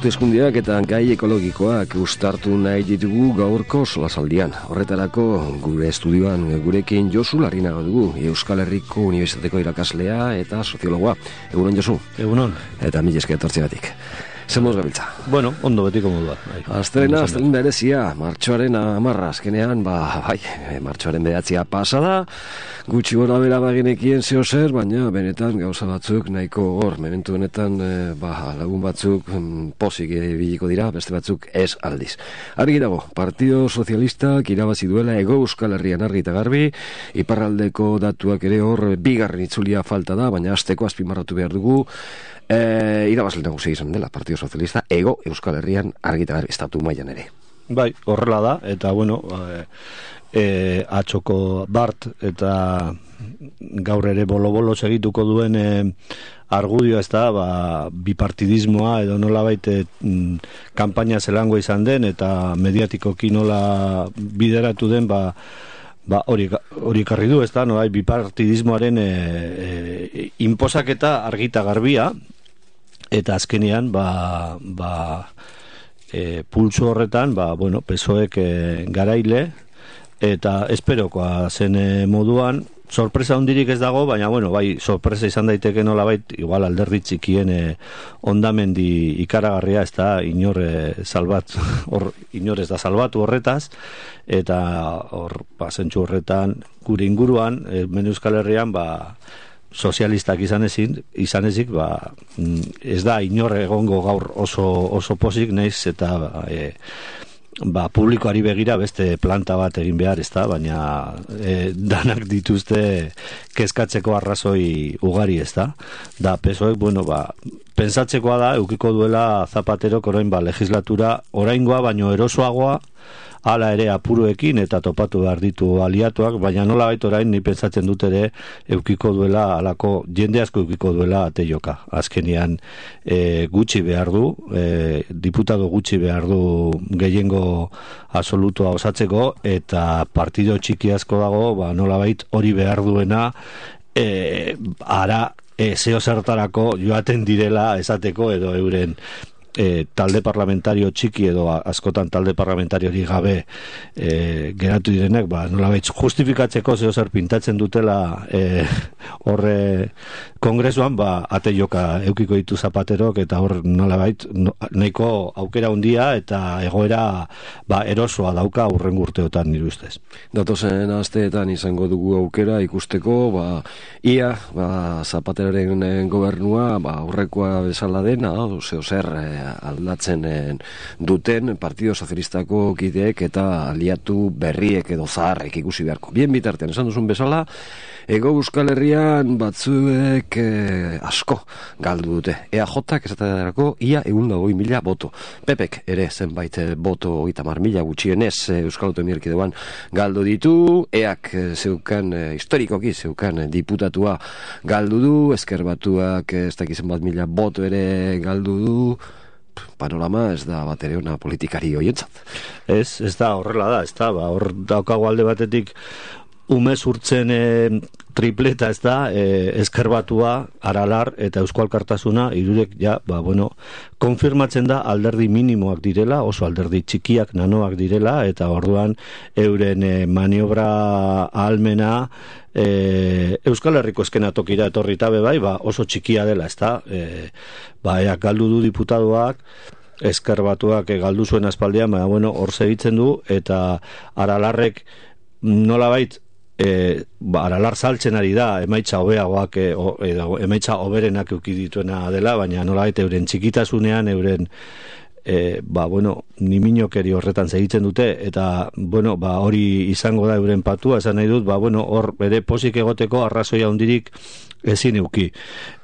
hauteskundeak eta gai ekologikoak uztartu nahi ditugu gaurko solasaldian. Horretarako gure estudioan gurekin Josu Larrinaga dugu, Euskal Herriko Unibertsitateko irakaslea eta soziologoa. Egunon, Josu. Egunon. Eta mila esker etortzeagatik. Zemoz gabiltza. Bueno, ondo betiko modua. Astelena berezia, martxoaren 10, azkenean, martxoaren 9 pasada, gutxi gora bera bagenekien zeo zer, baina benetan gauza batzuk nahiko hor, momentu honetan lagun batzuk pozik biliko dira, beste batzuk ez aldiz. Argi dago, Partido Sozialistak irabazi duela Hego Euskal Herrian argi eta garbi, iparraldeko datuak ere hor bigarren itzulia falta da, baina hasteko azpimarratu behar dugu, irabazle nagusia izan dela Partido Sozialista Hego Euskal Herrian argi eta garbi estatu mailan ere. Bai, horrela da, eta bueno, atxoko Bart eta gaur ere bolo-bolo segituko duen argudioa ez da, bipartidismoa edo nolabait kanpaina zelango izan den eta mediatikoki nola bideratu den, hori karri du, ez da, bipartidismoaren inposaketa argita garbia, eta azkenean pulso horretan PSOEk garaile eta esperokoa zen moduan, sorpresa hundirik ez dago, baina sorpresa izan daiteke nolabait, igual alderdi txikien ondamendi ikaragarria, ez da inor ez da salbatu horretaz, eta hor zentsu horretan gure inguruan, hemen Euskal Herrian sozialistak izan ezik, ez da inor egongo gaur oso pozik, naiz eta publikoari begira beste planta bat egin behar, ez da, baina danak dituzte kezkatzeko arrazoi ugari, ez da. Da, PSOEk, pensatzekoa da, eukiko duela Zapaterok orain legislatura oraingoa baino erosoagoa, hala ere apuruekin eta topatu behar ditu aliatuak, baina nola bait orain ni pentsatzen dut ere eukiko duela, alako jende asko eukiko duela ateioka. Azkenean gutxi behar du, diputado gutxi behar du gehiengo absolutoa osatzeko, eta partido txiki asko dago, nola bait hori behar duena ara zeo zertarako joaten direla esateko edo euren talde parlamentario txiki edo askotan talde parlamentariori gabe geratu direnek, nolabait justifikatzeko zeo zer pintatzen dutela horre kongresuan, ate joka eukiko ditu Zapaterok, eta hor nolabait nahiko aukera handia eta egoera erosoa dauka hurrengo urteotan nire ustez. Datozen asteetan izango dugu aukera ikusteko, ia Zapateroren gobernua aurrekoa bezala dena, zeo zer aldatzen duten Partido Sozialistako kideek eta aliatu berriek edo zaharrek ikusi beharko. Bien bitartean, esan duzun bezala, Hego Euskal Herrian batzuek asko galdu dute. EAJak esaterako ia 120.000 boto. PPek ere zenbait boto 30.000 gutxienez Euskal Autonomia Erkidegoan galdu ditu. EAK historikoki zeukan diputatua galdu du, Ezker Batuak ez dakizen bat mila boto ere galdu du. Panorama ez da bat ere ona politikari hoientzat. Ez da horrela da, ez da, hor daukago alde batetik umez urtzen tripleta, ez da, Ezker Batua, Aralar eta Eusko Alkartasuna, hirurek konfirmatzen da alderdi minimoak direla, oso alderdi txikiak, nanoak direla, eta orduan euren maniobra ahalmena Euskal Herriko eskenatokira etorri tabe oso txikia dela, ez da, eak galdu du diputadoak, Ezker Batuak galdu zuen aspaldian, hor segitzen du, eta Aralarrek nolabait Aralar saltzen ari da, emaitza hobeagoak edo emaitza hoberenak euki dituena dela, baina nolabait euren txikitasunean, euren niminokeri horretan segitzen dute, eta hori izango da euren patua, esan nahi dut, hor bere posik egoteko arrazoia hundirik ezin euki.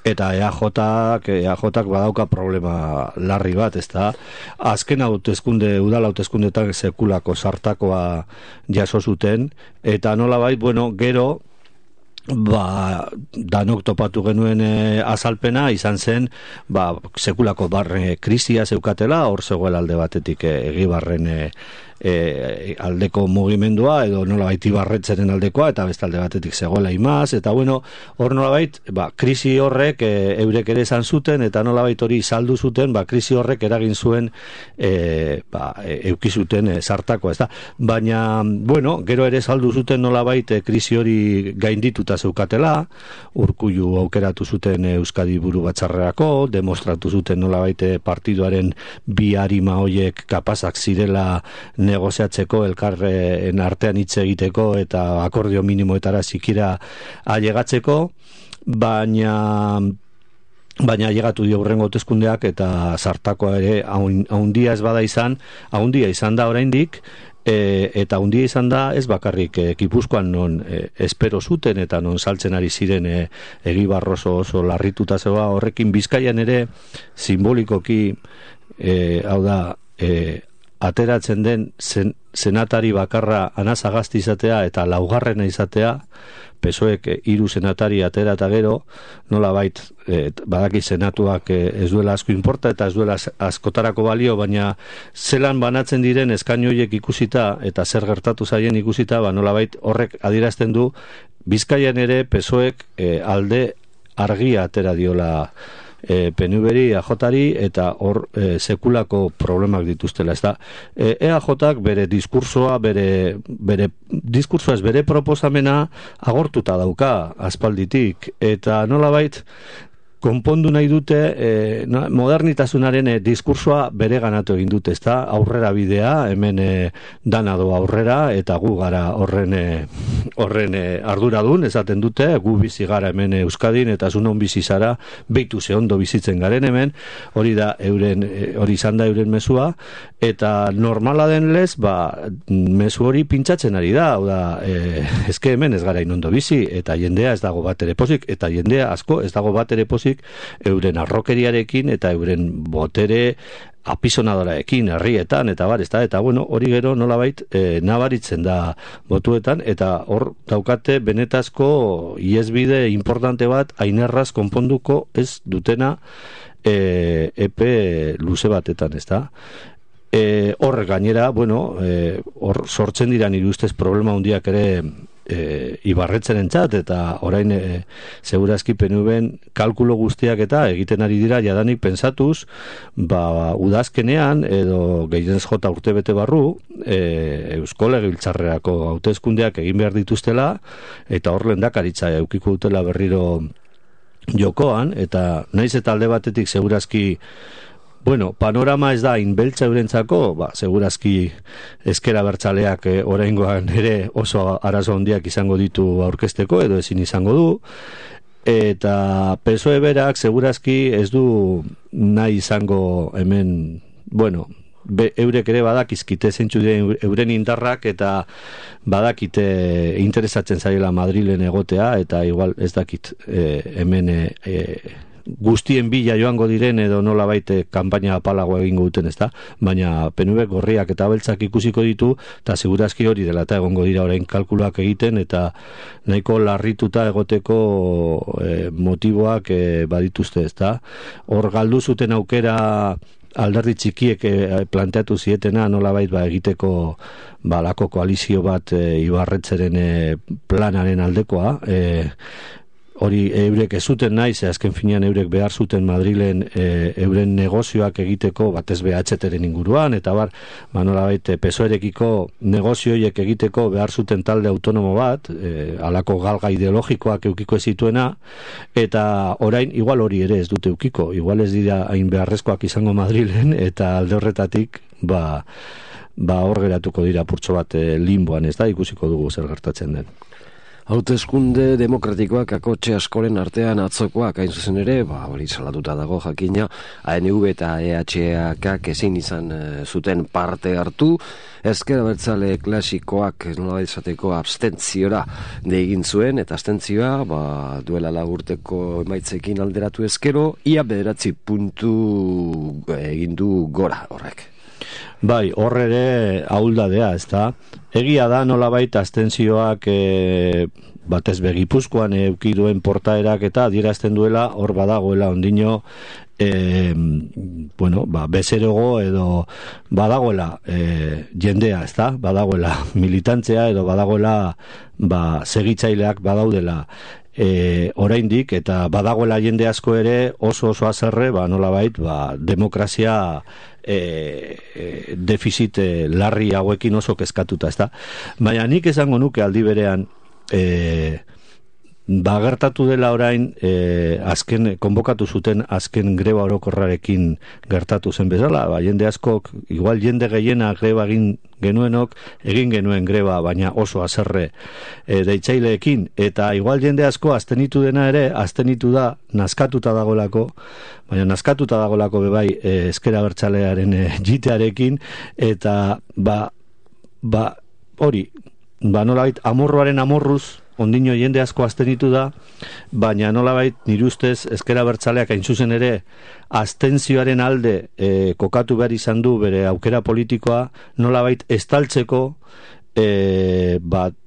Eta EAJak badauka problema larri bat, ez da, azken udal hauteskundeetan sekulako sartakoa jaso zuten, eta nolabait, gero danok topatu genuen azalpena izan zen sekulako barre krisia zeukatela, hor zegoela alde batetik Egibarren aldeko mugimendua edo nolabait Ibarretzeren aldekoa, eta bestalde batetik zegoela Imaz, eta bueno, hor nolabait, krisi horrek eurek ere esan zuten, eta nolabait hori saldu zuten, krisi horrek eragin zuen eukizuten sartakoa, ez da? Baina, bueno, gero ere saldu zuten nolabait krisi hori gaindituta zeukatela, Urkullu aukeratu zuten Euskadi buru batzarrerako, demostratu zuten nolabait partiduaren bi arima hoiek kapazak zirela negoziatzeko, elkarren artean hitz egiteko eta akordio minimoetara zikira ailegatzeko, baina llegatu dio hurrengo hauteskundeak eta sartakoa ere haundia ez bada izan, haundia izan da oraindik, eta haundia izan da ez bakarrik Gipuzkoan non espero zuten eta non saltzen ari ziren Egibar oso larrituta zegoa, horrekin Bizkaian ere simbolikoki hau da ateratzen den senatari bakarra Ana Sagasti izatea eta laugarrena izatea, PSOEk 3 senatari atera eta gero, nolabait badaki senatuak ez duela asko inporta eta ez duela askotarako balio, baina zelan banatzen diren eskainu horiek ikusita eta zer gertatu zaien ikusita, nolabait horrek adierazten du Bizkaian ere PSOEk alde argia atera diola PNV-ri, AJ-ri, eta hor sekulako problemak dituztela, ez da. EAJ-ak bere diskursoa, bere proposamena agortuta dauka aspalditik, eta nolabait konpondu nahi dute modernitasunaren diskursoa bere ganatu egin dute, ezta? Aurrera bidea, hemen dana doa aurrera, eta gu gara horren arduradun, esaten dute, gu bizi gara hemen Euskadin, eta zunon bizi zara, beitu ze ondo bizitzen garen hemen, hori izan da euren mezua, eta normala den lez, mezu hori pintzatzen ari da, hau da, ezke hemen ez gara inondo bizi, eta jendea ez dago bat ere pozik, eta jendea asko ez dago bat ere pozik, euren arrokeriarekin eta euren botere apisonadoraekin herrietan eta bar, eta bueno, hori gero nolabait nabaritzen da botuetan, eta hor daukate benetazko iesbide importante bat ainerraz konponduko ez dutena epe luze batetan, ez da? Hor gainera, bueno, hor sortzen dira nire ustez problema handiak ere Ibarretzen entzat, eta orain segurazki PNV-en kalkulo guztiak eta egiten ari dira jadanik pensatuz, udazkenean edo gehienez jota urtebete barru Eusko Legebiltzarrerako hauteskundeak egin behar dituztela, eta hor lehendakaritza eukiko dutela berriro jokoan, eta naiz eta alde batetik segurazki bueno, panorama ez da inbeltza eurentzako, segurazki ezkera bertzaleak oraingoan ere oso arazo handiak izango ditu aurkezteko edo ezin izango du, eta PSOE berak segurazki ez du nahi izango hemen, bueno, eurek ere badakizkite zeintzu diren euren indarrak eta badakite interesatzen zaiela Madrilen egotea, eta igual ez dakit hemen guztien bila joango diren edo nolabait kanpaina apalagoa egingo duten, ezta? Baina PNV gorriak eta beltzak ikusiko ditu, eta segurazki hori dela eta egongo dira orain kalkuluak egiten, eta nahiko larrituta egoteko motiboak badituzte, ezta? Hor galdu zuten aukera alderdi txikiek planteatu zietena nolabait egiteko lako koalizio bat Ibarretzeren planaren aldekoa, hori eurek ez zuten nahi, ze azken finean eurek behar zuten Madrilen euren negozioak egiteko, batez BHTren inguruan, eta nolabait PSOErekiko negozioiek egiteko behar zuten talde autonomo bat, halako galga ideologikoak eukiko ez zituena, eta orain igual hori ere ez dute eukiko, igual ez dira hain beharrezkoak izango Madrilen, eta alde horretatik hor geratuko dira purtso bat limboan, ez da, ikusiko dugu zer gertatzen den. Hauteskunde demokratikoak akotxe askoren artean atzokoak, hain zuzen ere, hori salatuta dago jakina, ANV eta EHK ezin izan zuten parte hartu, ezker abertzale klasikoak nola izateko abstentziora egin zuen, eta abstentzioa duela lagurteko emaitzekin alderatu ezkero, ia 9 puntu egin du gora horrek. Bai, horre ere ahuldadea, ez da? Egia da nolabait abstentzioak batez Gipuzkoan eukiduen portaerak eta adierazten duela hor badagoela ondino bezerogo edo badagoela jendea, ezta? Badagoela militantzea edo badagoela segitzaileak badaudela oraindik, eta badagoela jende asko ere oso azerre nolabait demokrazia defizit larri hauekin oso kezkatuta, ezta? Baina nik esango nuke aldi berean gertatu dela orain azken konbokatu zuten azken greba orokorrarekin gertatu zen bezala, jende askok, igual jende gehiena greba egin genuen greba, baina oso haserre deitzaileekin, eta igual jende asko aztenitu dena ere, aztenitu da nazkatuta dagoelako, baina nazkatuta dagoelako bebai ezker abertzalearen jitearekin, eta hori, nolabait amorruaren amorruz ondino jende asko aztenitu da, baina nolabait nire ustez ezker abertzaleak hain zuzen ere abstentzioaren alde kokatu behar izan du bere aukera politikoa, nolabait estaltzeko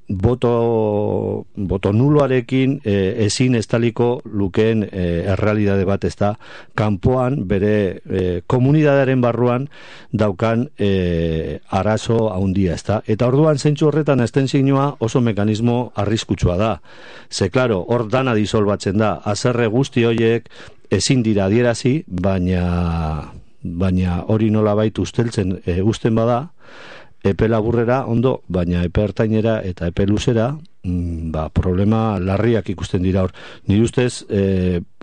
boto nuloarekin ezin estaliko lukeen errealidade bat, ez da, kanpoan bere komunidadearen barruan daukan arazo handia, ez da. Eta orduan zentzu horretan abstentzioa oso mekanismo arriskutsua da. Ze, klaro, hor dana disolbatzen da, haserre guzti horiek ezin dira adierazi, baina hori nolabait usteltzen usten bada, epe laburrera ondo, baina epe ertainera eta epe luzera problema larriak ikusten dira hor. Nire ustez,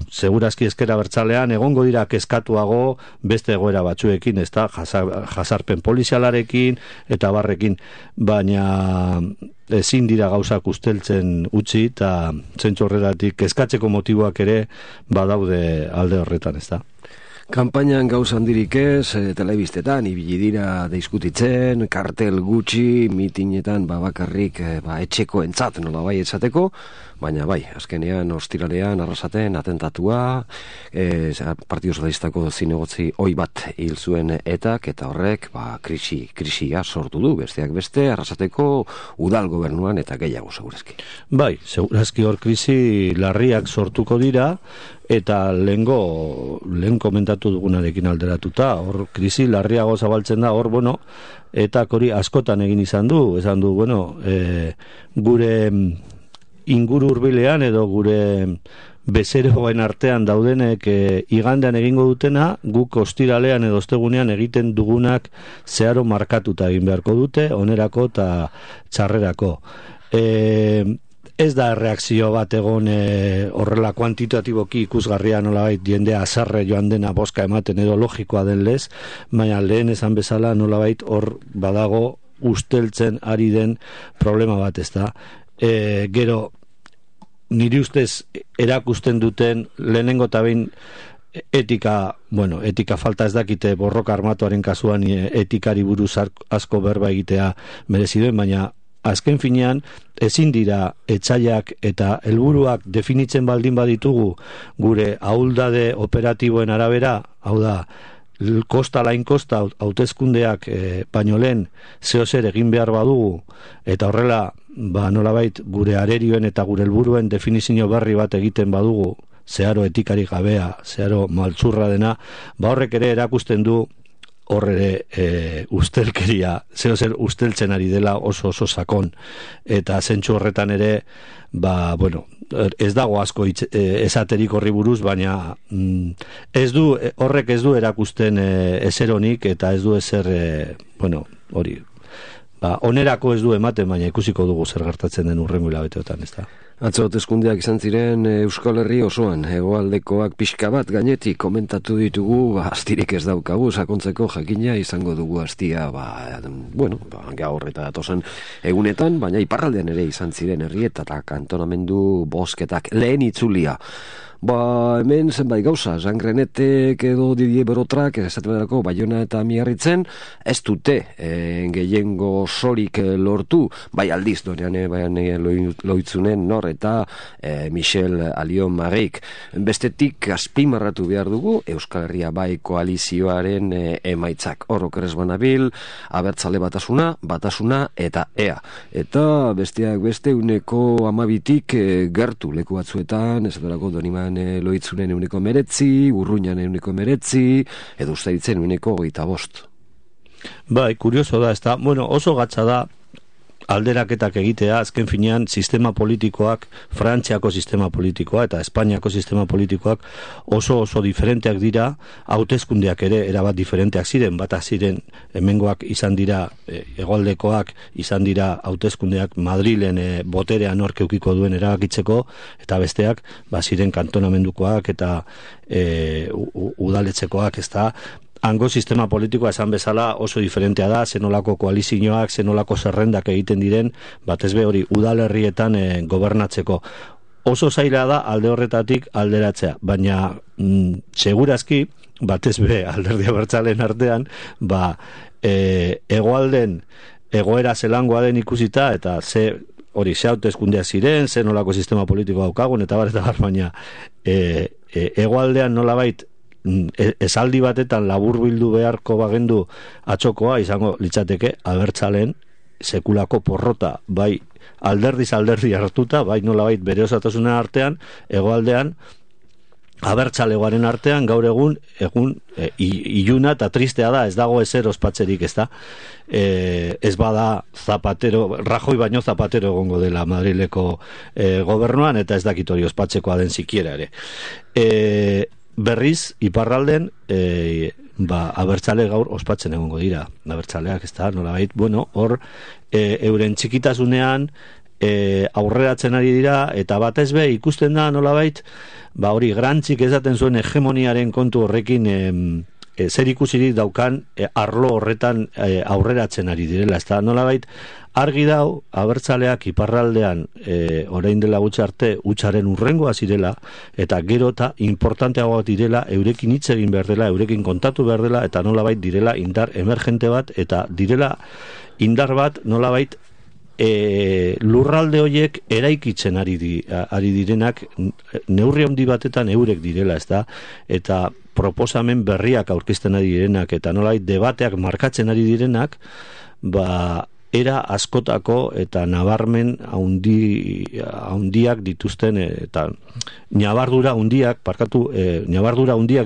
segurazki ezker abertzalean egongo dira kezkatuago beste egoera batzuekin, ez da, jasarpen polizialarekin eta barrekin, baina ezin dira gauzak usteltzen utzi, eta zentzu horretatik kezkatzeko motiboak ere badaude alde horretan, ez da. Kanpainan gauza handirik ez, telebistetan ibili dira diskutitzen, kartel gutxi, mitinetan bakarrik etxeko entzat nola bai esateko, baina bai, azkenean ostiralean arrasaten atentatua, Partido Socialistako zinegotzi oi bat hil zuen etak, eta horrek krisia sortu du, besteak beste, arrasateko udal gobernuan eta gehiago segurazki. Bai, segurazki hor krisi larriak sortuko dira, eta lehen komentatu dugunarekin alderatuta, hor krisi larriago zabaltzen da, hor, eta hori askotan egin izan du, gure inguru hurbilean edo gure bezeroen artean daudenek igandean egingo dutena, guk ostiralean edo ostegunean egiten dugunak zeharo markatuta egin beharko dute, onerako eta txarrerako. Ez da reakzio bat egon horrela kuantitatiboki ikusgarria nolabait jendea azarre joan dena boska ematen edo logikoa den lez, baina lehen esan bezala nolabait hor badago usteltzen ari den problema bat, ez da. Gero, niri ustez erakusten duten lehenengo eta behin etika falta ez dakite borroka armatuaren kasuan etikari buruz asko berba egitea mereziduen, baina azken finean ezin dira etxaiak eta helburuak definitzen baldin baditugu gure ahuldade operatiboen arabera, hau da, kosta lain kosta hauteskundeak baino lehen zeozer egin behar badugu, eta horrela nolabait gure arerioen eta gure helburuen definizio berri bat egiten badugu, zeharo etikarik gabea, zeharo maltzurra dena, horrek ere erakusten du horre ustelkeria, zeozer usteltzen ari dela oso sakon, eta zentsu horretan ere ez dago asko esaterik horri buruz, baina horrek ez du erakusten ezeronik, eta ez du ezer hori onerako ez du ematen, baina ikusiko dugu zer gertatzen den hurrengo hilabeteotan, ez da. Atzo hauteskundeak izan ziren Euskal Herri osoan, hegoaldekoak pixka bat gainetik komentatu ditugu, astirik ez daukagu, sakontzeko jakina izango dugu astia, gaur eta datozen egunetan, baina iparraldean ere izan ziren herrietan kantonamendu bozketak lehen itzulia. Hemen zenbait gauza, Jean Grenetek edo Didier Berotrak, esateberako Baiona eta Miarritzen, ez dute gehiengo sorik lortu, bai aldiz, dorean loitzunen nor eta Michel Alion Marrik. Bestetik azpimarratu behar dugu, Euskal Herria bai koalizioaren emaitzak. Horrokeres banabil, abertzale batasuna eta ea. Eta besteak beste 12tik gertu leku batzuetan, esaterako Doniman Iruñan Loitzunen 19, Urruñan 19, edo Uztaitzen 25. Bai, kurioso da, ezta, bueno, oso gatza da alderaketak egitea, azken finean sistema politikoak, Frantziako sistema politikoa eta Espainiako sistema politikoak oso diferenteak dira, hauteskundeak ere erabat diferenteak ziren, bata ziren hemengoak izan dira, hegoaldekoak izan dira hauteskundeak Madrilen boterea nork edukiko duen erabakitzeko, eta besteak ziren kantonamendukoak eta udaletxekoak, ezta. Hango sistema politikoa esan bezala oso diferentea da, zenolako koalizioak, zenolako zerrendak egiten diren, batez be hori udalerrietan gobernatzeko. Oso zaila da alde horretatik alderatzea, baina segurazki, batez be alderdi abertzaleen artean, hegoalden egoera zelangoa den ikusita, eta ze hauteskundeak ziren, zenolako sistema politikoa daukagun, eta baina hegoaldean nolabait esaldi batetan laburbildu beharko bagendu atzokoa izango litzateke abertzaleen sekulako porrota, bai alderdiz alderdi hartuta, bai nolabait bere osatasuna artean, hegoaldean abertzalegoaren artean gaur egun iluna eta tristea da, ez dago ezer ospatzerik, ez da, ez bada Rajoy baino Zapatero egongo dela Madrileko gobernuan, eta ez dakit hori ospatzekoa den sikiera ere. Berriz, iparralden abertzale gaur ospatzen egongo dira, abertzaleak, ez da, nolabait, hor euren txikitasunean aurreratzen ari dira, eta batez be ikusten da nolabait, hori grantzik esaten zuen hegemoniaren kontu horrekin zer ikusirik daukan arlo horretan aurreratzen ari direla, ez da, nolabait, argi dau, abertzaleak iparraldean orain dela gutxi arte hutsaren urrengoa zirela, eta gero eta importanteagoa direla, eurekin hitz egin behar dela, eurekin kontatu behar dela, eta nolabait direla indar emergente bat, eta direla indar bat nolabait lurralde horiek eraikitzen ari direnak, neurri handi batetan eurek direla, ez da, eta proposamen berriak aurkezten ari direnak, eta nolabait debateak markatzen ari direnak, era askotako eta nabarmen handiak dituzten eta ñabardura handiak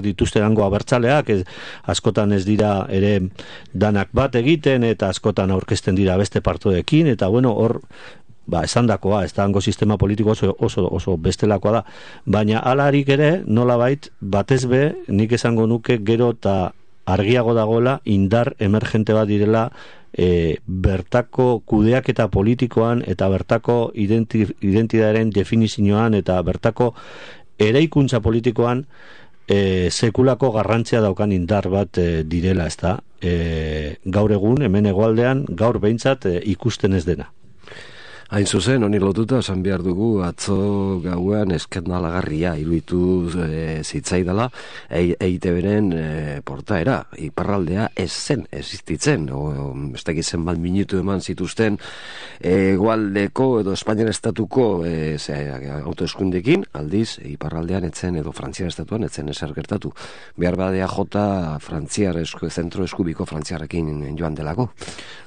dituzten hango abertzaleak, askotan ez dira ere danak bat egiten, eta askotan aurkezten dira beste partoekin, eta hor esandakoa, ez da hango sistema politiko oso bestelakoa da, baina halarik ere nolabait batez be nik esango nuke gero eta argiago dagoela indar emergente bat direla bertako kudeaketa politikoan eta bertako identitatearen definizioan eta bertako eraikuntza politikoan sekulako garrantzia daukan indar bat direla, ez da, gaur egun hemen hegoaldean gaur behintzat ikusten ez dena. Hain zuzen, honi lotuta, esan behar dugu, atzo gauean eskandalagarria iruditu zitzaidala, EITB-ren portaera, iparraldea ez zen, existitzen, ez dakit zenbat minutu eman zituzten, hegoaldeko edo Espainian estatuko autoeskundekin, aldiz, iparraldean etzen edo Frantziar estatuan etzen ezer gertatu. Behar badea jota zentro eskubiko frantziarrekin joan delako.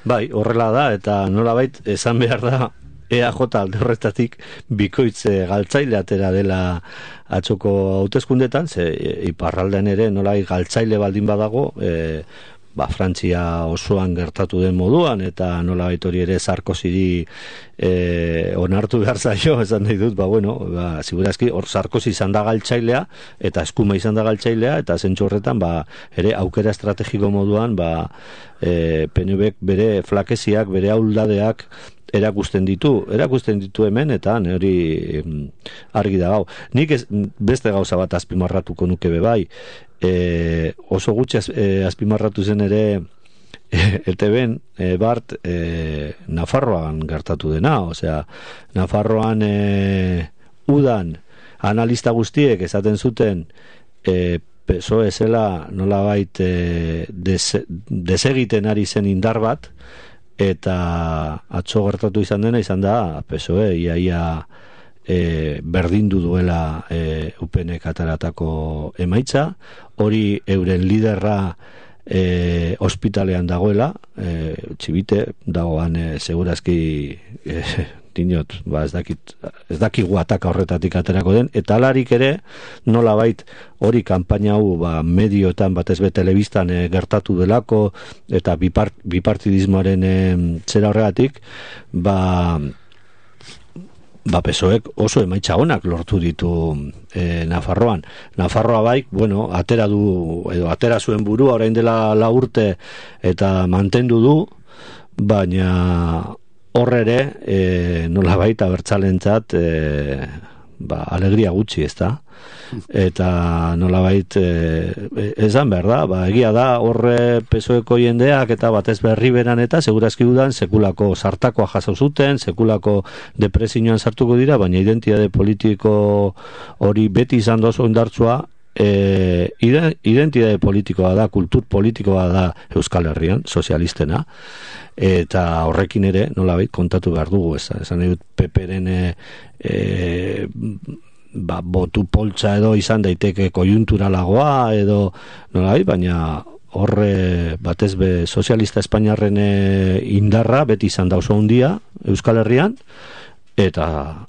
Bai, horrela da, eta nolabait esan behar da, EAJ alde horretatik bikoitz galtzaile atera dela atzoko hauteskundetan, ze iparraldean ere nolai galtzaile baldin badago, Frantzia osoan gertatu den moduan, eta nolabait hori ere Sarkozyri onartu behar zaio, esan nahi dut, segurazki hor Sarkozy izan da galtzailea, eta eskuma izan da galtzailea, eta zentzu horretan ere aukera estrategiko moduan PNVk bere flakeziak, bere ahuldadeak erakusten ditu hemen, eta hori argi da gau. Nik beste gauza bat azpimarratuko nuke bai, oso gutxi azpimarratu zen ere ETB-en bart Nafarroan gertatu dena, osea, Nafarroan udan analista guztiek esaten zuten PSOE zela nolabait desegiten ari zen indar bat, eta atzo gertatu izan dena izan da PSOE iaia berdindu duela UPNek ataratako emaitza, hori euren liderra ospitalean dagoela, txibite dagoan segurazki dinot, ez dakigu ataka horretatik aterako den, eta alarik ere, nolabait hori kanpaina hau medioetan, batez be telebistan gertatu delako, eta bipartidismoaren zera horregatik, PSOEk oso emaitza onak lortu ditu Nafarroan. Nafarroa bai, atera zuen burua orain dela 4 urte eta mantendu du, baina horre ere nolabait abertzalentzat alegria gutxi, ezta? Eta nolabait esan behar da, egia da horre PSOEko jendeak eta batez berri beran eta segurazki dudan sekulako sartakoa jaso zuten, sekulako depresioan sartuko dira, baina identitate politiko hori beti izan da oso indartsua. Identitate politikoa da, kultur politikoa da Euskal Herrian, sozialistena, eta horrekin ere nolabait kontatu behar dugu, esan dut PPren botu poltsa edo izan daiteke kojunturalagoa edo nolabait, baina horre batez be sozialista espainiarren indarra beti izan da oso handia Euskal Herrian, eta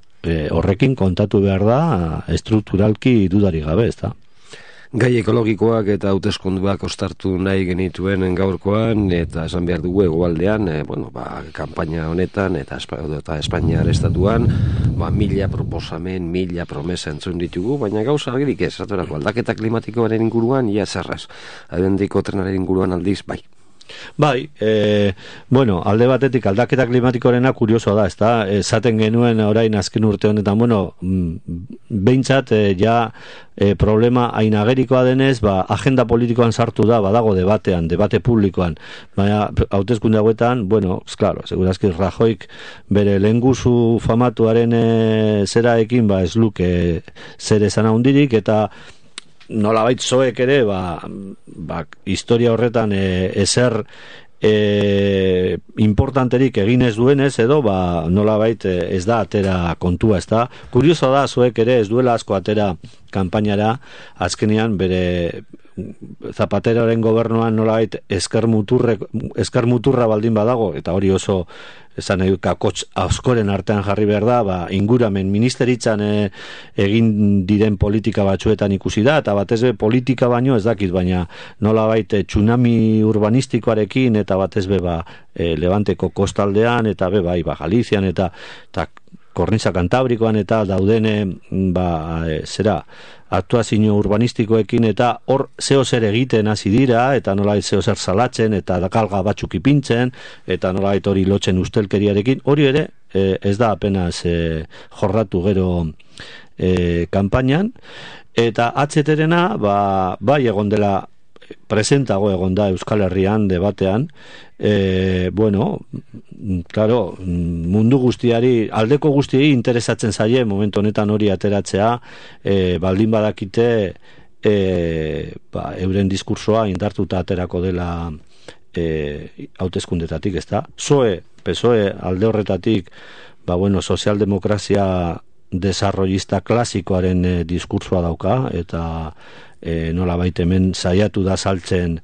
horrekin kontatu behar da estrukturalki dudari gabe, ezta? Gai ekologikoak eta hauteskunduak ostartu nahi genituen gaurkoan, eta esan behar dugu hegoaldean, kanpaina honetan eta Espainiar estatuan, 1000 proposamen, 1000 promesa entzun ditugu, baina gauza argirik ez, aldaketa klimatikoaren inguruan, ia zerraz, adendiko trenaren inguruan aldiz, bai. Bai, alde batetik aldaketa klimatikoarena kuriosoa da, ezta? Esaten genuen orain azken urte honetan, behintzat problema hain agerikoa denez, agenda politikoan sartu da, badago debate publikoan, baina hauteskunde hauetan, segurazki Rajoyk bere lehengusu famatuaren zeraekin, ez luke zer esan handirik, eta nolabait zoek ere historia horretan ezer importanterik egin ez duenez edo nolabait ez da atera kontua, ez da. Kurioso da zoek ere ez duela asko atera kanpainara, azkenean bere Zapateroren gobernuan nolabait esker muturra baldin badago, eta hori oso esan nahi kakotx askoren artean jarri behar da, inguramen ministeritzan egin diren politika batzuetan ikusi da, eta batez be politika baino ez dakit, baina nolabait tsunami urbanistikoarekin eta batez be Levanteko kostaldean eta Galizian eta Kornisa Kantabrikoan eta dauden aktuazio urbanistikoekin eta hor zeo zer egiten hasi dira eta nolabait zeo zer salatzen eta galga batzuk ipintzen eta nolabait hori lotzen ustelkeriarekin, hori ere ez da apenas jorratu gero kanpainan, eta HTRena bai egon dela presentago egon da Euskal Herrian debatean, mundu guztiari, aldeko guztiei interesatzen zaie momentu honetan hori ateratzea, baldin badakite euren diskursoa indartuta aterako dela hauteskundetatik, ezta? PSOE alde horretatik, sozialdemokrazia desarrollista klasikoaren diskursoa dauka, eta nolabait hemen saiatu da saltzen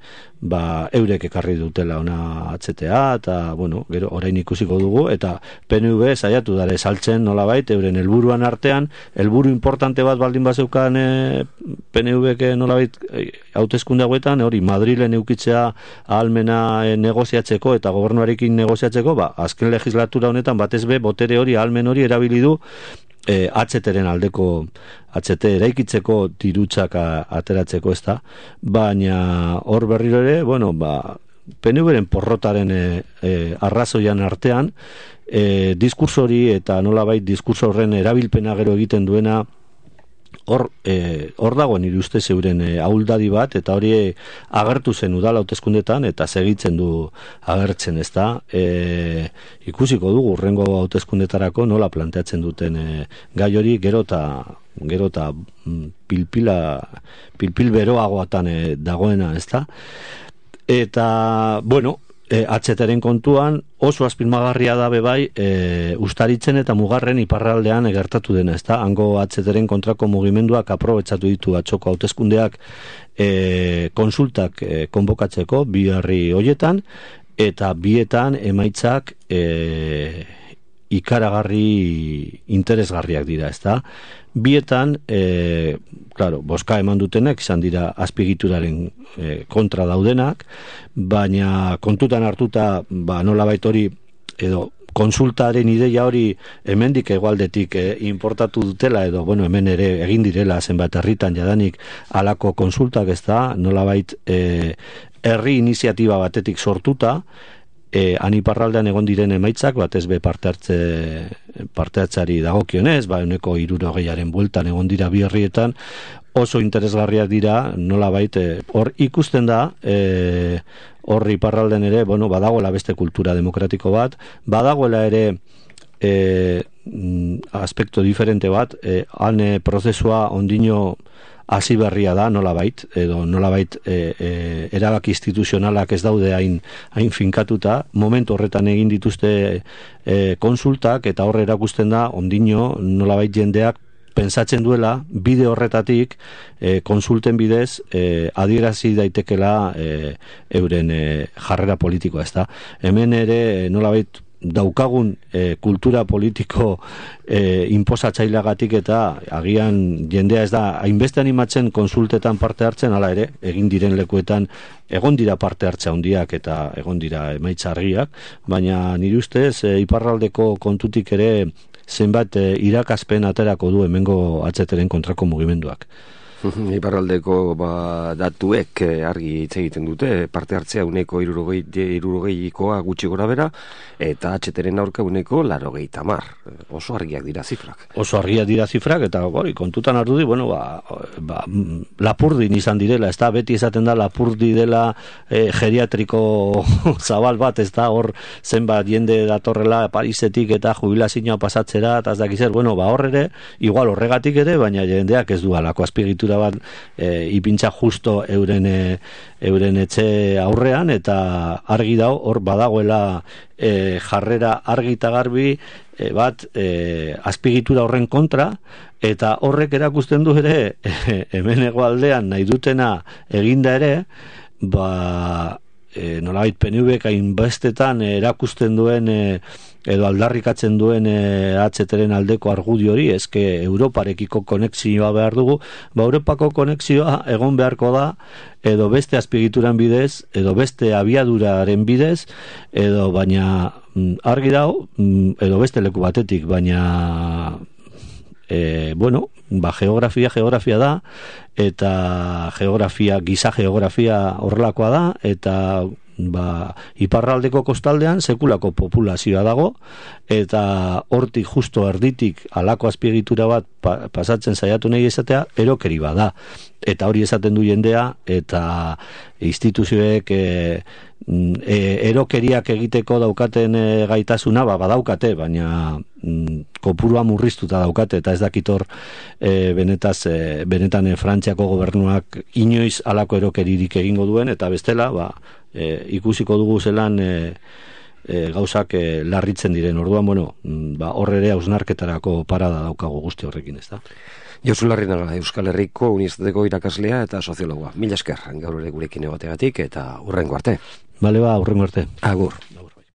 eurek ekarri dutela ona HTA, eta gero orain ikusiko dugu, eta PNV saiatu dare saltzen nolabait euren helburuan artean, helburu importante bat baldin bazeukan PNVk nolabait hauteskunde hauetan, hori Madrilen eukitzea ahalmena negoziatzeko eta gobernuarekin negoziatzeko, azken legislatura honetan batez be botere hori, ahalmen hori erabili du HTren aldeko HT eraikitzeko dirutzak ateratzeko, ezta, baina hor berriro ere, PNVren porrotaren arrazoian artean, diskurso hori eta nolabait diskurso horren erabilpena gero egiten duena, hor dago nire uste zeuren ahuldadi bat, eta hori agertu zen udal hauteskundetan eta segitzen du agertzen, ezta. Ikusiko dugu urrengo hauteskundetarako nola planteatzen duten gai hori, gero eta pilpil beroagoatan dagoena, ezta. Eta, HTren kontuan oso azpimarragarria da bai Ustaritzen eta Mugarren iparraldean gertatu dena, ezta? Hango HTren kontrako mugimenduak aprobetxatu ditu atzoko hauteskundeak konsultak konbokatzeko bi herri hoietan, eta bietan emaitzak ikaragarri interesgarriak dira, ezta? Bietan, claro, boska eman dutenek izan dira azpiegituraren kontra daudenak, baina kontutan hartuta, nolabait hori edo konsultaren ideia hori hemendik hegoaldetik importatu dutela edo hemen ere egin direla zenbat herritan jadanik halako konsultak, ezta? Nolabait herri iniziatiba batetik sortuta, han iparraldean egon diren emaitzak batez be parte hartzari dagokionez, 60%aren bueltan egon dira bi herrietan, oso interesgarriak dira, nolabait hor ikusten da hor iparralden ere, badagoela beste kultura demokratiko bat, badagoela ere aspekto diferente bat, han prozesua ondino hasi berria da, nolabait, edo nolabait erabaki instituzionalak ez daude hain finkatuta, momentu horretan egin dituzte konsultak, eta horre erakusten da, ondino nolabait jendeak pentsatzen duela, bide horretatik, konsulten bidez, adierazi daitekela euren jarrera politikoa, ezta? Hemen ere, nolabait, daukagun kultura politiko inposatzaileagatik eta agian jendea ez da hainbeste animatzen konsultetan parte hartzen, hala ere, egin diren lekuetan egon dira parte hartze handiak eta egon dira emaitza argiak, baina nire ustez iparraldeko kontutik ere zenbat irakaspen aterako du hemengo HTren kontrako mugimenduak. Iparraldeko datuek argi hitz egiten dute, parte hartzea 60%koa gutxi gora bera, eta HTren aurka 80%. Oso argiak dira zifrak. Oso argiak dira zifrak, eta kontutan hartu di, Lapurdin izan direla, ez da, beti esaten da Lapurdi dela geriatriko zabal bat, ez da, hor zenbat jende datorrela Parisetik eta jubilazioa pasatzera, eta ez dakizer, hor ere, igual horregatik ere, baina jendeak ez du alako azpiegitura bat ipintza justo euren etxe aurrean, eta argi dau hor badagoela jarrera argi eta garbi bat azpiegitura horren kontra, eta horrek erakusten du ere hemen hegoaldean nahi dutena eginda ere, nolabait PNVk hainbestetan erakusten duen edo aldarrikatzen duen HTren aldeko argudio hori, eske Europarekiko konexioa behar dugu, Europako konexioa egon beharko da, edo beste azpiegituran bidez, edo beste abiaduraren bidez, edo baina argi dago, edo beste leku batetik, baina geografia da, eta giza geografia horrelakoa da, eta iparraldeko kostaldean sekulako populazioa dago, eta hortik justo erditik alako azpiegitura bat pasatzen saiatu nahi esatea, erokeri bada. Eta hori esaten du jendea, eta instituzioek erokeriak egiteko daukaten gaitasuna badaukate, baina kopurua murriztuta daukate, eta ez dakitor benetan Frantziako gobernuak inoiz alako erokeririk egingo duen, eta bestela ikusiko dugu zelan gauzak larritzen diren. Orduan, hor ere hausnarketarako parada daukagu guzti horrekin, ez da? Josu Larrinaga, Euskal Herriko Unibertsitateko irakaslea eta soziologoa. Mila esker, gaur ere gurekin egoteagatik, eta hurrengo arte. Bale, hurrengo arte. Agur.